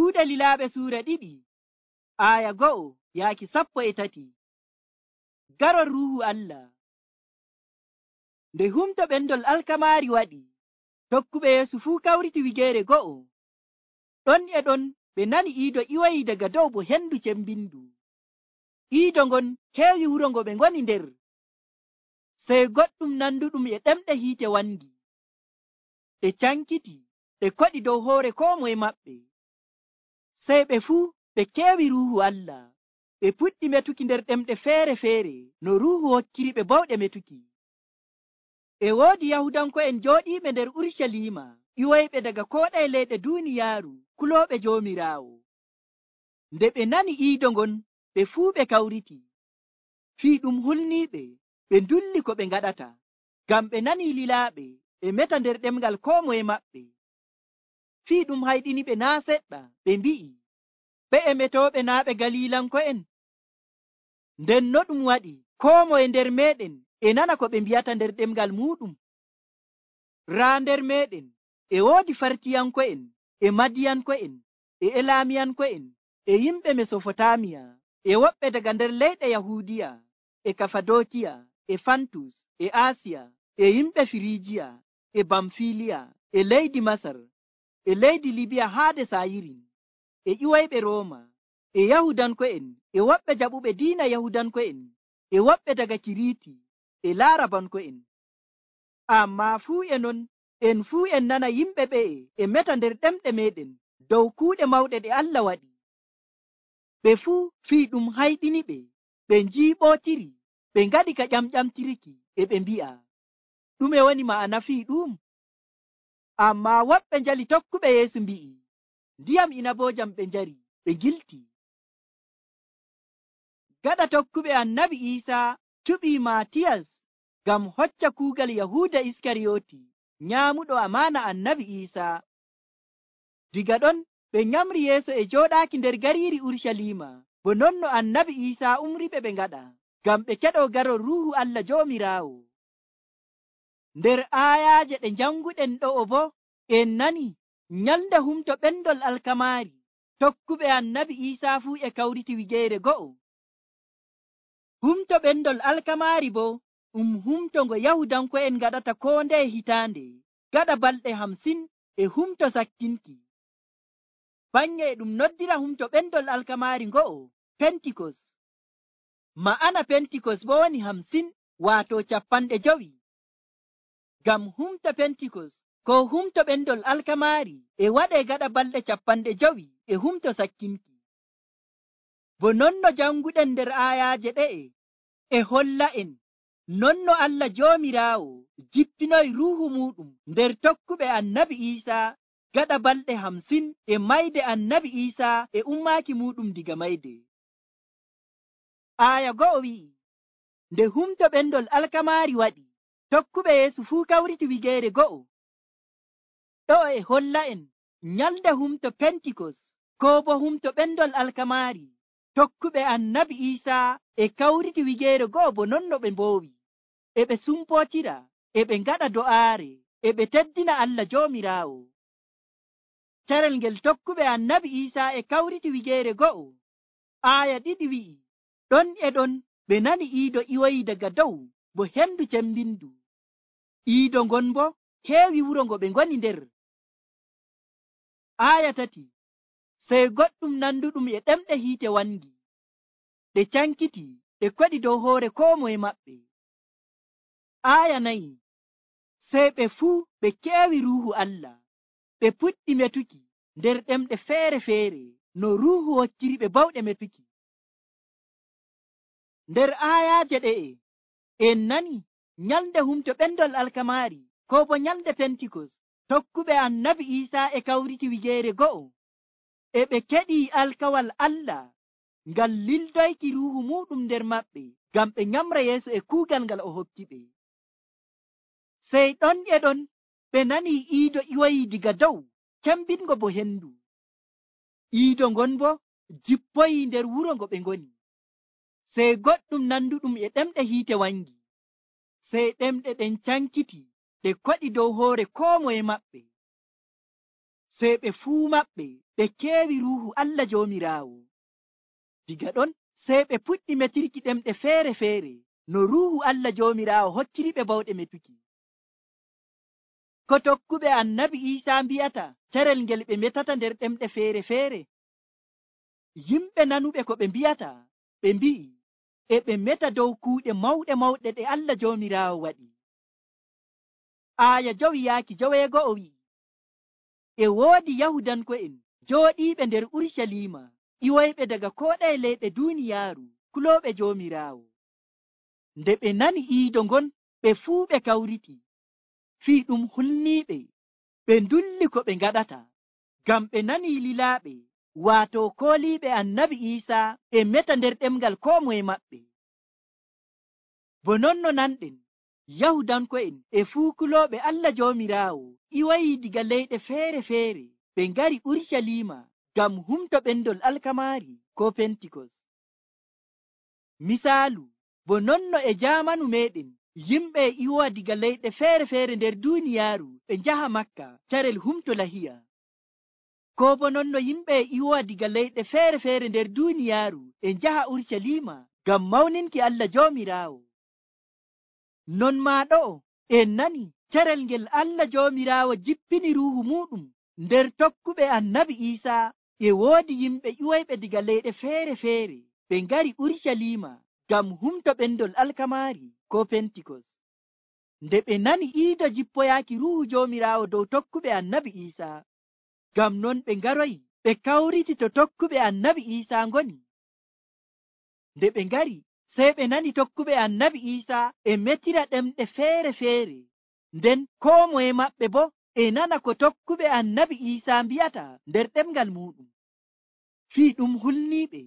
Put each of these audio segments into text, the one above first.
Yahuuda Lilaaɓe suura 2 aya 1 yaaki 13. Garol ruuhu Allah. Nde humto ɓendol alkamaari waɗi, tokkuɓe Yeesu fuu kawriti wigeere go'o. Ɗon e ɗon ɓe nani iido iwoyi daga dow bo hendu cembindu. Iido ngon heewi wuro ngo ɓe ngoni nder. Sey goɗɗum nanduɗum e ɗemɗe hiite wangi. Ɓe cankiti, ɓe koɗi dow hoore koo moye maɓɓe. Sey ɓe fuu ɓe keewi ruuhu Allah. Ɓe puɗɗi metuki nder ɗemɗe feere-feere no ruuhu hokkiri ɓe bawɗe metuki. E woodi Yahudanko'en jooɗiiɓe nder Urucaliima, ƴiwoyɓe daga koo ɗaye leyɗe duuniyaaru, kulooɓe Joomiraawo. Nde ɓe nani iido ngon, ɓe fuu ɓe kawriti. Fii ɗum hulniiɓe, ɓe ndulli ko ɓe ngaɗata, ngam ɓe nanii lilaaɓe ɓe meta nder ɗemngal koo moye maɓɓe. Fii ɗum hayɗiniɓe naa' seɗɗa, ɓe mbi'i, ɓe'e metooɓe naa' ɓe Galiilanko'en? Nden no ɗum waɗi koo moye nder meeɗen e nana ko ɓe mbi'ata nder ɗemngal muuɗum? Raa nder meeɗen e woodi Fartiyanko'en, e Madiyanko'en, e Elaamiyanko'en, e yimɓe Mesofotamiya, e woɓɓe daga nder leyɗe Yahuudiya, e Kafadokiya, e Fantus, e Asiya, e yimɓe Firijiya, e Bamfiliya, e leydi Masar, e leydi Libiya haade Sayirin, e ƴiwoyɓe Rooma, e Yahudanko'en, e woɓɓe jaɓuɓe diina Yahudanko'en, e woɓɓe daga Kiriiti, e Laarabanko'en. Ammaa fuu e non, en fuu en nana yimɓe ɓe'e e meta nder ɗemɗe meɗen dow kuuɗe mawɗe ɗe Allah waɗi. Ɓe fuu fii ɗum hayɗiniɓe, ɓe njiiɓootiri, ɓe ngaɗi ka ƴamƴamtirki, e ɓe mbi'a, ɗume woni ma'ana fii ɗum? Ammaa woɓɓe njali tokkuɓe Yeesu mbi'i, ndiyam inaboojam ɓe njari, ɓe ngilti. Gaɗa tokkuɓe Annabi Iisaa cuɓii Maatiyas ngam hocca kuugal Yahuuda Iskariyooti, nyaamuɗo amaana Annabi Iisaa. Diga ɗon ɓe nyamri Yeesu e jooɗaaki nder gariiri Urucaliima, bo non no Annabi Iisaa umriɓe ɓe ngaɗa, ngam ɓe keɗoo garol Ruuhu Allah Joomiraawo. Nder aayaaje ɗe njanguɗen ɗo'o boo, en nani nyalnde humto ɓendol alkamaari, tokkuɓe Annabi Iisaa fuu e kawriti wigeere go'o. Humto ɓendol alkamaari boo humto ngo Yahudanko'en ngaɗata koo ndeye hitaande, gaɗa balɗe 50 e humto sakkinki. Bannye e ɗum noddira humto ɓendol alkamaari ngo'o Pentikos. Ma'ana Pentikos boo woni 50 waato 50. Ngam humto Pentikos ko humto ɓendol alkamaari e waɗee gaɗa balɗe 50 e humto sakkinki. Bo non no janguɗen nder aayaaje ɗe'e e holla en non no Allah Joomiraawo jippinoyi ruuhu muɗum nder tokkuɓe Annabi Iisaa gaɗa balɗe 50 e mayde Annabi Iisaa e ummaaki muɗum diga mayde. Aaya 1 wi'i, nde humto ɓendol alkamaari waɗi, tokkuɓe Yeesu fuu kawriti wigeere go'o. Ɗo e holla en nyalde humto Pentikos koo bo humto ɓendol alkamaari, tokkuɓe Annabi Iisaa e kawriti wigeere go'o bo non no ɓe mboowi, e ɓe sumpootira, e ɓe ngaɗa do'aare, e ɓe teddina Allah Joomiraawo. Carel ngel tokkuɓe Annabi Iisaa e kawriti wigeere go'o. Aaya 2 wi'i, ɗon e ɗon ɓe nani iido iwoyi daga dow bo hendu cembindu. Iido ngon bo heewi wuro ngo ɓe ngoni nder. Aaya 3, sey goɗɗum nanduɗum e ɗemɗe hiite wangi. Ɗe cankiti, ɗe koɗi dow hoore koo moye maɓɓe. Aaya 4, sey ɓe fuu ɓe keewi ruuhu Allah, ɓe puɗɗi metuki nder ɗemɗe feere-feere no ruuhu hokkiri ɓe bawɗe metuki. Nder aayaaje ɗe'e en nani nyalde humto ɓendol alkamaari koo bo nyalde Pentikos, tokkuɓe Annabi Iisaa e kawriti wigeere go'o, e ɓe keɗii alkawal Allah ngal lildoyki ruuhu muɗum nder maɓɓe ngam ɓe nyamra Yeesu e kuugal ngal o hokki ɓe. Sey ɗon e ɗon ɓe nanii iido iwoyi diga dow cembingo bo hendu. Iido ngon bo jippoyi nder wuro ngo ɓe ngoni. Sey goɗɗum nanduɗum e ɗemɗe hiite wangi. Sey ɗemɗe ɗen cankiti ɗe koɗi dow hoore koo moye maɓɓe. sey ɓe fuu maɓɓe ɓe keewi ruuhu Allah Joomiraawo. Diga ɗon sey ɓe puɗɗi metirki ɗemɗe feere-feere no ruuhu Allah Joomiraawo hokkiriɓe bawɗe metuki. Ko tokkuɓe annabi Iisaa mbi'ata carel ngel ɓe metata nder ɗemɗe feere-feere? Yimɓe nanuɓe ko ɓe mbi'ata, ɓe mbi'i e ɓe meta dow kuuɗe mawɗe mawɗe ɗe Allah Joomiraawo waɗi. Aaya 2 wi'i, e woodi Yahudanko'en jooɗiiɓe nder Urucaliima, ƴiwoyɓe daga koo ɗaye leyɗe duuniyaaru, kulooɓe Joomiraawo. Nde ɓe nani iido ngon, ɓe fuu ɓe kawriti, fii ɗum hulniiɓe, ɓe ndulli ko ɓe ngaɗata, ngam ɓe nanii lilaaɓe, waato kooliiɓe annabi Iisaa e meta nder ɗemngal koo moye maɓɓe. Bo non no nanɗen, Yahudanko'en e fuu kulooɓe Allah Joomiraawo ƴiwoyii diga leyɗe feere-feere, ɓe ngari Urucaliima ngam humto ɓendol alkamaari koo Pentikos. Misaalu, bo non no e jaamanu meeɗen yimɓe e ƴiwowa diga leyɗe feere-feere nder duuniyaaru ɓe njaha Makka carel humto lahiya. Koo bo non no yimɓe e ƴiwowa diga leyɗe feere-feere nder duuniyaaru e njaha Urucaliima ngam mawninki Allah Joomiraawo. Non maa ɗo'o en nani carel ngel Allah Joomiraawo jippini ruuhu muuɗum nder tokkuɓe annabi Iisaa, e woodi yimɓe ƴiwoyɓe diga leyɗe feere-feere ɓe ngari Urucaliima ngam humto ɓendol alkamaari koo Pentikos. Nde ɓe nani iido jippoyaaki ruuhu Joomiraawo dow tokkuɓe annabi Iisaa, ngam non ɓe ngaroyi ɓe kawriti to tokkuɓe annabi Iisaa ngoni. Nde ɓe ngari sey ɓe nani tokkuɓe annabi Iisaa e metira ɗemɗe feere-feere, nden koo moye maɓɓe boo e nana ko tokkuɓe annabi Iisaa mbi'ata nder ɗemngal muuɗum. Fii ɗum hulniiɓe,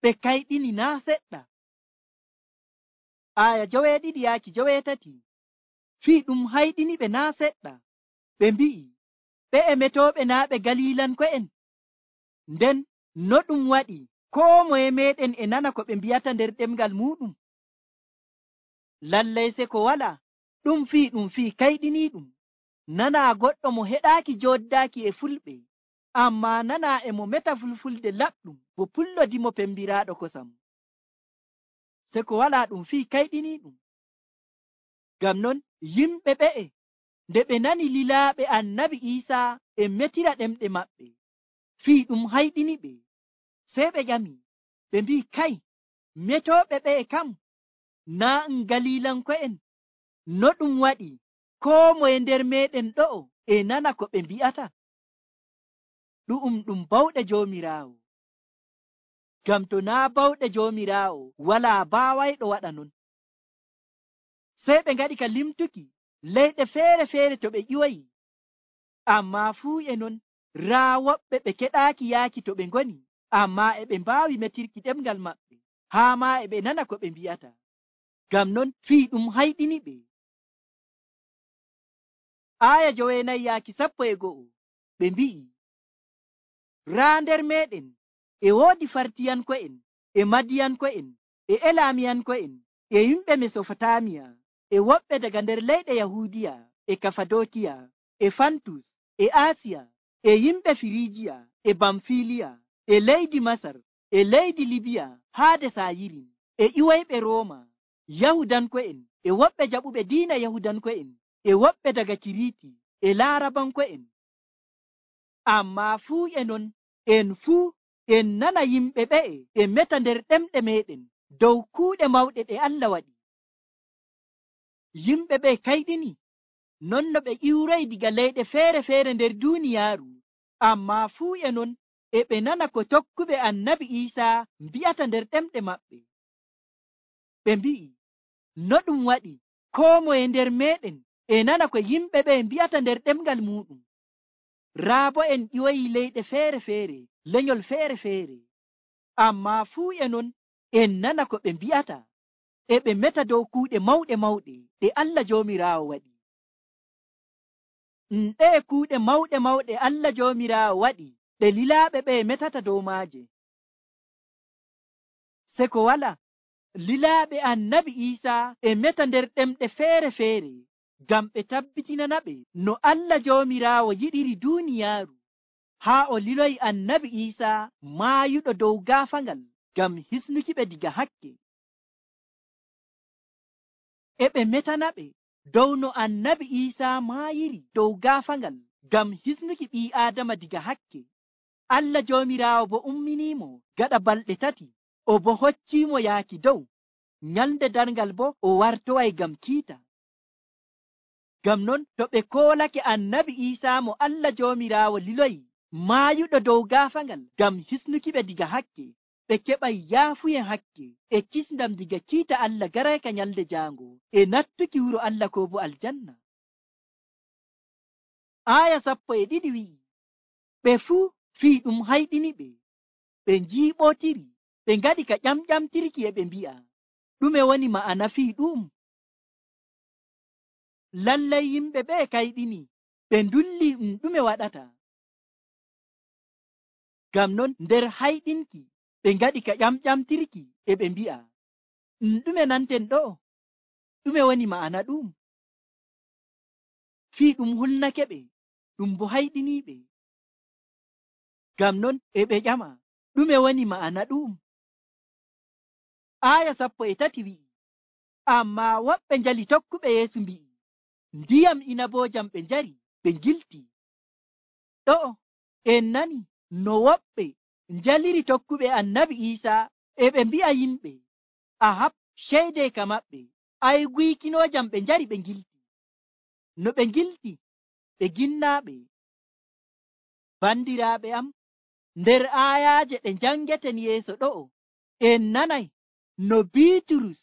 ɓe kayɗini naa seɗɗa. Aaya 2-3 fii ɗum hayɗiniɓe naa seɗɗa, ɓe mbi'i, ɓe e metooɓe naa ɓe Galiilanko'en? Nden no ɗum waɗi koo moye meeɗen e nana ko ɓe mbi'ata nder ɗemngal muuɗum? Lallay se ko walaa, ɗum fii kayɗiniiɗum. Nanaa goɗɗo mo heɗaaki jooddaaki e fulɓe, ammaa nanaa e mo meta fulfulde laɓɗum bo pullodimo pembiraaɗo kosam. Se ko walaa, ɗum fii kayɗiniiɗum. Ngam non yimɓe ɓe'e nde ɓe nani lilaaɓe annabi Iisaa e metira ɗemɗe maɓɓe, fii ɗum hayɗiniɓe. Sey ɓe ƴami, ɓe mbi'i, kay, metooɓe ɓe'e kam naa Galiilanko'en? No ɗum waɗi koo moye nder meeɗen ɗo'o e nana ko ɓe mbi'ata? Ɗu'um ɗum bawɗe Joomiraawo. Ngam to naa bawɗe Joomiraawo walaa baawayɗo waɗa non. Sey ɓe ngaɗi ka limtuki leyɗe feere-feere to ɓe ƴiwoyi, ammaa fuu e non raa woɓɓe ɓe keɗaaki yaaki to ɓe ngoni, ammaa e ɓe mbaawi metirki ɗemngal maɓɓe, haa maa e ɓe nana ko ɓe mbi'ata. Ngam non fii ɗum hayɗiniɓe. Aaya 9-11 ɓe mbi'i, raa nder meeɗen e woodi Fartiyanko'en e Madiyanko'en e Elaamiyanko'en e yimɓe Mesofotamiya e woɓɓe daga nder leyɗe Yahuudiya e Kafadokiya e Fantus e Aasiya e yimɓe Firiijiya e Bamfiliya e leydi Masar e leydi Libiya haa de Sayirin e ƴiwoyɓe Rooma, Yahudanko'en e woɓɓe jaɓuɓe diina Yahudanko'en e woɓɓe daga Kiriiti e Laarabanko'en. Ammaa fuu e non en fuu en nana yimɓe ɓe'e e meta nder ɗemɗe meeɗen dow kuuɗe mawɗe ɗe Allah waɗi. Yimɓe ɓe kayɗini non no ɓe ƴiwroyi diga leyɗe feere-feere nder duuniyaaru, ammaa fuu e non e ɓe nana ko tokkuɓe annabi Iisaa mbi'ata nder ɗemɗe maɓɓe. Ɓe mbi'i, no ɗum waɗi koo moye nder meeɗen e nana ko yimɓe ɓe mbi'ata nder ɗemngal muuɗum. Raa bo en ƴiwoyi leyɗe feere-feere, lenyol feere-feere, ammaa fuu e non en nana ko ɓe mbi'ata, e ɓe meta dow kuuɗe mawɗe mawɗe ɗe Allah Joomiraawo waɗi. Ɗe kuuɗe mawɗe mawɗe Allah Joomiraawo waɗi ɗe lilaaɓe ɓe metata dow maaje. Se ko wala, lilaaɓe annabi Iisaa e meta nder ɗemɗe feere-feere ngam ɓe tabbitinana ɓe no Allah Joomiraawo yiɗiri duuniyaaru, haa o liloyi annabi Iisaa maayuɗo dow gaafangal ngam hisnuki ɓe diga hakke. E ɓe metana ɓe dow no annabi Iisaa maayiri dow gaafangal ngam hisnuki ɓii Aadama diga hakke. Allah Joomiraawo bo umminiimo gaɗa balɗe 3, o bo hocciimo yaaki dow. Nyalnde darngal bo o wartoway ngam kiita. Ngam non to ɓe koolake annabi Iisaa mo Allah Joomiraawo liloyi maayuɗo dow gaafangal ngam hisnuki ɓe diga hakke, ɓe keɓay yaafuyen hakke e kisndam diga kiita Allah garayka nyalde jaango e nattuki wuro Allah ko bo aljanna. Aya 12 wi'i, ɓe fuu fii ɗum hayɗini ɓe, ɓe njiiɓotiri, ɓe ngaɗi ka ƴamƴamtirki e ɓe mbi'a, ɗume woni ma'ana fii ɗum? Lallay yimɓe ɓe kayɗini, ɓe ndulli ɗume waɗata. Ngam non nder hayɗinki ɓe ngaɗi ka ƴamƴamtirki e ɓe mbi'a, ɗume nanten ɗo? Ɗume woni ma'ana ɗum? Fii ɗum hulnake ɓe, ɗum bo hayɗiniiɓe. Ngam non e ɓe ƴama, ɗume woni ma'ana ɗum? Aya 13 wi'i, ammaa woɓɓe njali tokkuɓe Yeesu mbi'i, ndiyam inaboojam ɓe njari ɓe ngilti. Ɗo en nani no woɓɓe njaliri tokkuɓe annabi Iisaa e ɓe mbi'a yimɓe, ahab ceede ka maɓɓe, ay guykinoojam ɓe njari ɓe ngilti. No ɓe ngilti ɓe ginnaaɓe. Bandiraaɓe am, nder aayaaje ɗe njangeten yeeso ɗo'o, en nanay no Biiturus,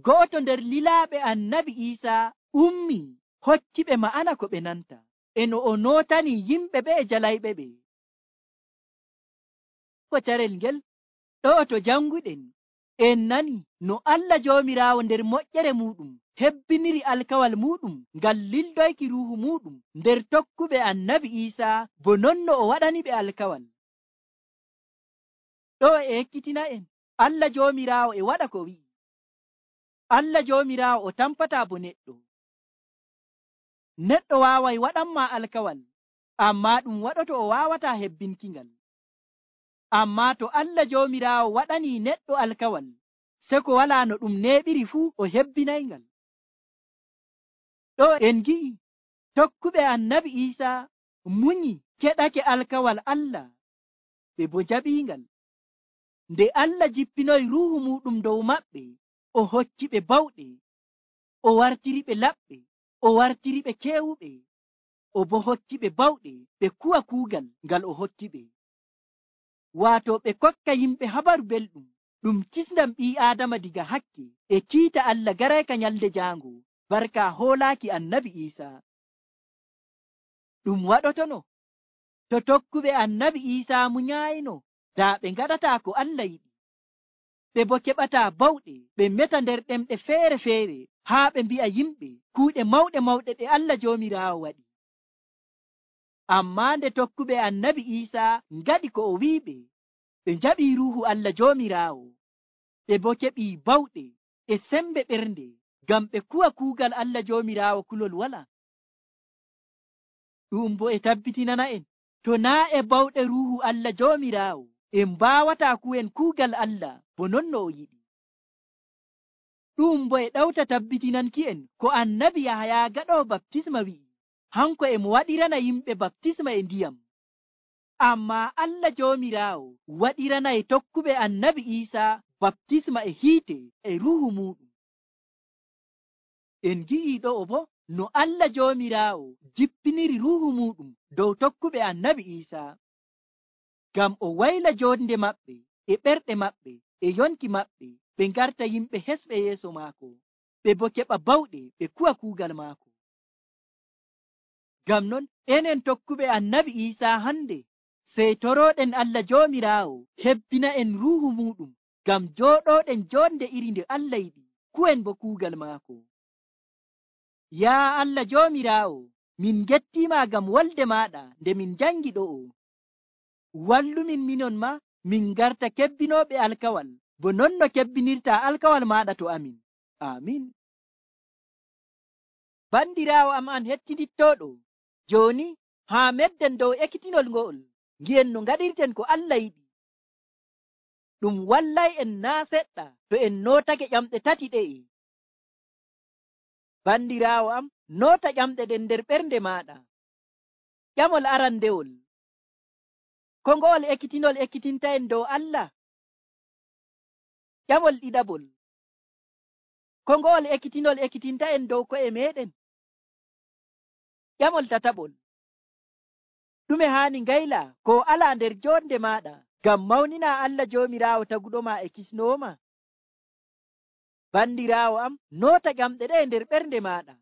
go'oto nder lilaaɓe annabi Iisaa, ummi hokkiɓe ma'ana ko ɓe nanta, e no o nootani yimɓe ɓe e jalayɓe ɓe. Ko carel ngel ɗo'o to janguɗen, en nani no Allah Joomiraawo nder moƴƴere muɗum hebbiniri alkawal muɗum ngal lildoyki ruuhu muɗum nder tokkuɓe annabi Iisaa, bo non no o waɗani ɓe alkawal. Ɗo e ekkitina en Allah Joomiraawo e waɗa ko wi'i. Allah Joomiraawo o tampataa bo neɗɗo. Neɗɗo waaway waɗanma alkawal, ammaa ɗum waɗoto o waawataa hebbinkingal. Ammaa to Allah Joomiraawo waɗanii neɗɗo alkawal, seko walaa no ɗum neeɓiri fuu o hebbinayngal. Ɗo en gi'i tokkuɓe annabi Iisaa munyi keɗake alkawal Allah, ɓe bo jaɓiingal. Nde Allah jippinoyi ruuhu muɗum dow maɓɓe, o hokki ɓe bawɗe, o wartiri ɓe laɓɓe, o wartiri ɓe keewuɓe, o bo hokki ɓe bawɗe ɓe kuwa kuugal ngal o hokki ɓe. Waato ɓe kokka yimɓe habaru belɗum, ɗum kisndam ɓii Aadama diga hakke e kiita Allah garayka nyalde jaango, barka hoolaaki annabi Iisaa. Ɗum waɗotono to tokkuɓe annabi Iisaa munyayino, daa ɓe ngaɗataa ko Allah yiɗi, ɓe bo keɓataa bawɗe ɓe meta nder ɗemɗe feere-feere haa ɓe mbi'a yimɓe kuuɗe mawɗe mawɗe ɗe Allah Joomiraawo waɗi. Ammaa nde tokkuɓe annabi Iisaa ngaɗi ko o wi'iɓe, ɓe njaɓii ruuhu Allah Joomiraawo, ɓe bo keɓii bawɗe e sembe ɓernde ngam ɓe kuwa kuugal Allah Joomiraawo kulol wala. Ɗum bo e tabbitinana en, to naa e bawɗe ruuhu Allah Joomiraawo, en mbaawataa kuwen kuugal Allah bo non no o yiɗi. Ɗum bo e ɗawta tabbitinanki en ko annabi Yahaya gaɗoowo baptisma wi'i, hanko e mo waɗirana yimɓe baptisma e ndiyam. Ammaa Allah Joomiraawo waɗiranay tokkuɓe annabi Iisaa baptisma e hiite e ruuhu muɗum. En gi'ii ɗo'o bo no Allah Joomiraawo jippiniri ruuhu muɗum dow tokkuɓe annabi Iisaa, ngam o wayla joonde maɓɓe e ɓerɗe maɓɓe e yonki maɓɓe, ɓe ngarta yimɓe hesɓe yeeso maako, ɓe bo keɓa bawɗe ɓe kuwa kuugal maako. Ngam non enen tokkuɓe annabi Iisaa hande, sey torooɗen Allah Joomiraawo hebbina en ruuhu muɗum ngam jooɗooɗen joonde iri nde Allah yiɗi, kuwen bo kuugal maako. Yaa Allah Joomiraawo, min gettiima ngam wolde maaɗa nde min jangi ɗo'o. Wallumin minon ma min garta kebbinooɓe alkawal, bo non no kebbinirta alkawal maaɗa to amin. Amin. Bandiraawo am an hettidittooɗo, jooni haa medden dow ekkitinol ngo'ol ngi'en no ngaɗirten ko Allah yiɗi. Ɗum wallay en naa seɗɗa to en nootake ƴamɗe tati ɗe'e. Bandiraawo am, noota ƴamɗe ɗen nder ɓernde maaɗa. Ƴamol arandewol, ko ngo'ol ekkitinol ekkitintaen dow Allah? Ƴamol ɗiɗaɓol, ko ngo'ol ekkitinol ekkitintaen dow ko'e meɗen? Ƴamol tataɓol, ɗume haani ngayla ko alaa nder jonde maaɗa ngam mawnina Allah Joomiraawo taguɗoma e kisnooma? Bandiraawo am, noota ƴamɗe ɗe nder ɓernde maaɗa.